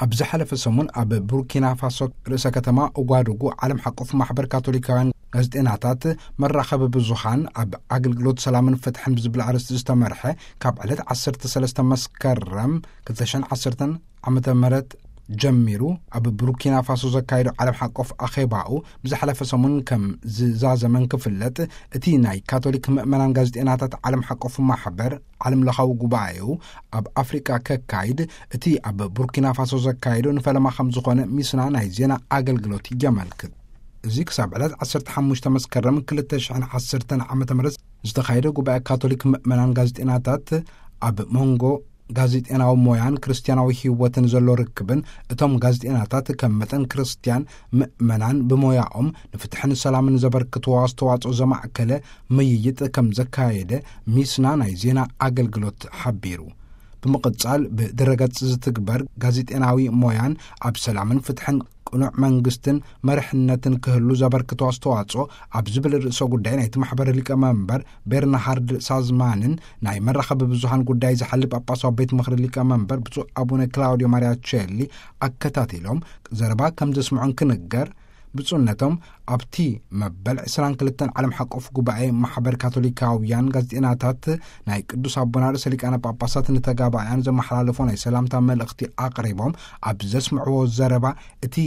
ኣብ ዝሓለፈ ሰሙን ኣብ ቡርኪና ፋሶ ርእሰ ከተማ ኡጓዱጉ ዓለም ሓቆፍ ማሕበር ካቶሊካውያን ጋዜጠናታት መራኸቢ ብዙሃን ኣብ ኣገልግሎት ሰላምን ፍትሕን ብዝብል ኣርእስቲ ዝተመርሐ ካብ ዕለት ዓሰርተ ሰለስተ መስከረም ክልተ ሽሕን ዓሰርተን ዓመተ ምህረት ጀሚሩ ኣብ ቡርኪና ፋሶ ዘካየዶ ዓለም ሓቆፍ ኣኼባኡ ብዝሓለፈ ሰሙን ከም ዝዛዘመን ክፍለጥ፣ እቲ ናይ ካቶሊክ ምእመናን ጋዜጠናታት ዓለም ሓቆፍ ማሕበር ዓለም ለኻዊ ጉባኤኡ ኣብ ኣፍሪቃ ከካይድ እቲ ኣብ ቡርኪና ፋሶ ዘካየዶ ንፈለማ ከም ዝኾነ ሚስና ናይ ዜና ኣገልግሎት የመልክት። እዚ ክሳብ ዕለት ዓሰርተ ሓሙሽተ መስከረም ክልተ ሽሕን ዓሰርተን ዓመተ ምህረት ዝተኻየደ ጉባኤ ካቶሊክ ምእመናን ጋዜጠናታት ኣብ መንጎ ጋዜጠናዊ ሞያን ክርስትያናዊ ህይወትን ዘሎ ርክብን፣ እቶም ጋዜጠናታት ከም መጠን ክርስትያን ምእመናን ብሞያኦም ንፍትሕን ሰላምን ዘበርክትዎ ኣስተዋጽኦ ዘማእከለ ምይይጥ ከም ዘካየደ ሚስና ናይ ዜና ኣገልግሎት ሓቢሩ። ብምቕጻል ብድረገጽ ዝትግበር ጋዜጠናዊ ሞያን ኣብ ሰላምን ፍትሕን ቅኑዕ መንግስትን መርሕነትን ክህሉ ዘበርክቶ ኣስተዋጽኦ ኣብ ዝብል ርእሰ ጉዳይ ናይቲ ማሕበር ሊቀመንበር ቤርናሃርድ ሳዝማንን ናይ መራኸቢ ብዙሃን ጉዳይ ዝሓሊ ጳጳሳዊ ቤት ምኽሪ ሊቀመንበር ብፁዕ ኣቡነ ክላውዲዮ ማሪያቸሊ ኣከታቲሎም ዘረባ ከም ዘስምዑን ክንገር፣ ብፁዕነቶም ኣብቲ መበል ዕስራን ክልተን ዓለም ሓቆፍ ጉባኤ ማሕበር ካቶሊካውያን ጋዜጠናታት ናይ ቅዱስ ኣቦና ርእሰ ሊቃነ ጳጳሳት ንተጋባእያን ዘመሓላለፎ ናይ ሰላምታ መልእኽቲ ኣቕሪቦም፣ ኣብ ዘስምዕዎ ዘረባ፣ እቲ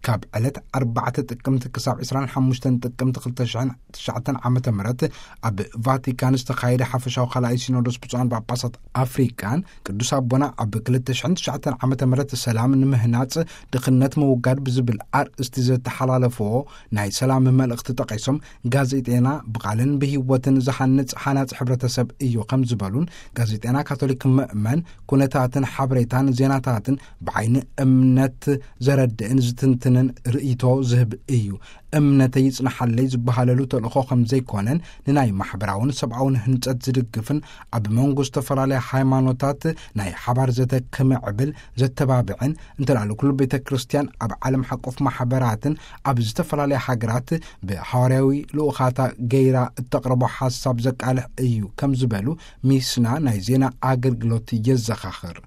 ካብ ዕለት ኣርባዕተ ጥቅምቲ ክሳብ ዕስራን ሓሙሽተን ጥቅምቲ ክልተ ሽሕን ትሽዓተን ዓመተ ምህረት ኣብ ቫቲካን ዝተኻየደ ሓፈሻዊ ካልኣይ ሲኖዶስ ብፁዓን ጳጳሳት ኣፍሪካን ቅዱስ ኣቦና ኣብ ክልተ ሽሕን ትሽዓተን ዓመተ ምህረት ሰላም ንምህናጽ ድኽነት ምውጋድ ብዝብል ኣርእስቲ ዘተሓላለፈዎ ናይ ሰላም መልእኽቲ ጠቒሶም፣ ጋዜጤና ብቓልን ብህይወትን ዝሃንጽ ሃናጺ ሕብረተሰብ እዩ ከም ዝበሉን፣ ጋዜጤና ካቶሊክ ምእመን ኩነታትን ሓበሬታን ዜናታትን ብዓይኒ እምነት ዘረድእን ዝትንትንን ርእይቶ ዝህብ እዩ። እምነተይ ይጽንሓለይ ዝበሃለሉ ተልእኾ ከም ዘይኮነን፣ ንናይ ማሕበራውን ሰብኣውን ህንጸት ዝድግፍን ኣብ መንጎ ዝተፈላለያ ሃይማኖታት ናይ ሓባር ዘተ ክምዕብል ዘተባብዕን፣ እንተላሉ ኩሉ ቤተ ክርስቲያን ኣብ ዓለም ሓቆፍ ማሕበራትን ኣብ ዝተፈላለያ ሃገራት ብሃዋርያዊ ልኡኻታ ገይራ እተቕርቦ ሓሳብ ዘቃልሕ እዩ ከም ዝበሉ ሚስና ናይ ዜና ኣገልግሎት የዘኻኽር።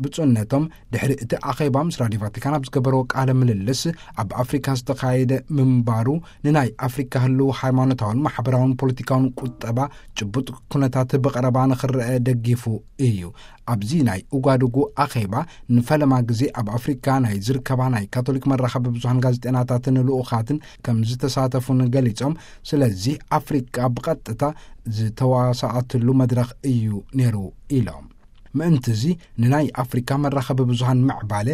ብፁዕነቶም ድሕሪ እቲ ኣኼባ ምስ ራድዮ ቫቲካን ኣብ ዝገበርዎ ቃለ ምልልስ፣ ኣብ ኣፍሪካ ዝተኻየደ ምንባሩ ንናይ ኣፍሪካ ህልው ሃይማኖታውን ማሕበራውን ፖለቲካውን ቁጠባ ጭቡጥ ኩነታት ብቐረባ ንኽረአ ደጊፉ እዩ። ኣብዚ ናይ ኡጋዱጉ ኣኼባ ንፈለማ ግዜ ኣብ ኣፍሪካ ናይ ዝርከባ ናይ ካቶሊክ መራኸቢ ብዙሃን ጋዜጠናታትን ልኡኻትን ከም ዝተሳተፉን ገሊጾም፣ ስለዚ ኣፍሪካ ብቐጥታ ዝተዋሳኣትሉ መድረኽ እዩ ነይሩ ኢሎም። ምእንቲ እዚ ንናይ ኣፍሪካ መራኸቢ ብዙሃን ምዕባለ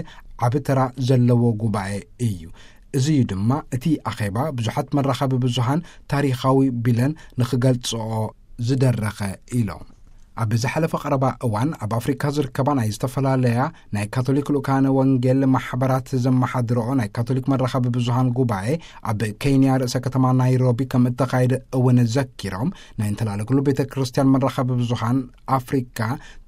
ዓቢ ተራ ዘለዎ ጉባኤ እዩ። እዚ እዩ ድማ እቲ ኣኼባ ብዙሓት መራኸቢ ብዙሃን ታሪኻዊ ቢለን ንኽገልጽኦ ዝደረኸ ኢሎም። ኣብ ዝሓለፈ ቀረባ እዋን ኣብ ኣፍሪካ ዝርከባ ናይ ዝተፈላለያ ናይ ካቶሊክ ልኡካነ ወንጌል ማሕበራት ዘመሓድረኦ ናይ ካቶሊክ መራኸቢ ብዙሃን ጉባኤ ኣብ ኬንያ ርእሰ ከተማ ናይሮቢ ከም እተኻየደ እውን ዘኪሮም፣ ናይ እንተላለኩሉ ቤተ ክርስቲያን መራኸቢ ብዙሃን ኣፍሪካ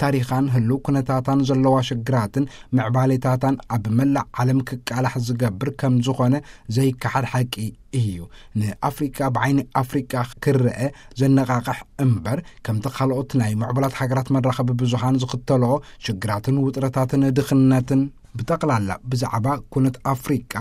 ታሪኻን ህሉው ኩነታታን ዘለዋ ሽግራትን ምዕባሌታታን ኣብ መላእ ዓለም ክቃላሕ ዝገብር ከም ዝኾነ ዘይከሓድ ሓቂ እዩ። ንኣፍሪካ ብዓይኒ ኣፍሪካ ክረአ ዘነቓቕሕ እምበር፣ ከምቲ ካልኦት ናይ ምዕቡላት ሃገራት መራኸቢ ብዙሃን ዝኽተልኦ ሽግራትን ውጥረታትን ድኽነትን ብጠቕላላ ብዛዕባ ኩነት ኣፍሪቃ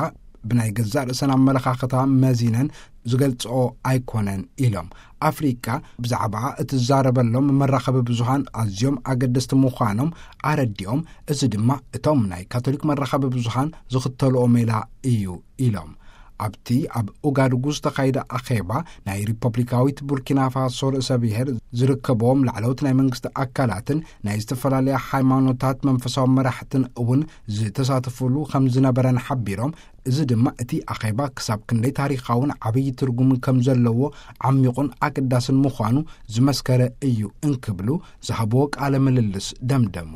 ብናይ ገዛእ ርእሰን ኣመለኻኽታ መዚነን ዝገልጽኦ ኣይኮነን ኢሎም። ኣፍሪቃ ብዛዕባኣ እትዛረበሎም መራኸቢ ብዙሃን ኣዝዮም ኣገደስቲ ምዃኖም ኣረዲኦም፣ እዚ ድማ እቶም ናይ ካቶሊክ መራኸቢ ብዙሃን ዝኽተልኦ ሜላ እዩ ኢሎም። ኣብቲ ኣብ ኡጋዱጉ ዝተኻየደ ኣኼባ ናይ ሪፐብሊካዊት ቡርኪና ፋሶ ርእሰ ብሔር ዝርከብዎም ላዕለዎት ናይ መንግስቲ ኣካላትን ናይ ዝተፈላለያ ሃይማኖታት መንፈሳዊ መራሕትን እውን ዝተሳተፉሉ ከም ዝነበረን ሓቢሮም፣ እዚ ድማ እቲ ኣኼባ ክሳብ ክንደይ ታሪኻውን ዓብዪ ትርጉም ከም ዘለዎ ዓሚቑን ኣገዳስን ምዃኑ ዝመስከረ እዩ እንክብሉ ዝሃብዎ ቃለ ምልልስ ደምደሙ።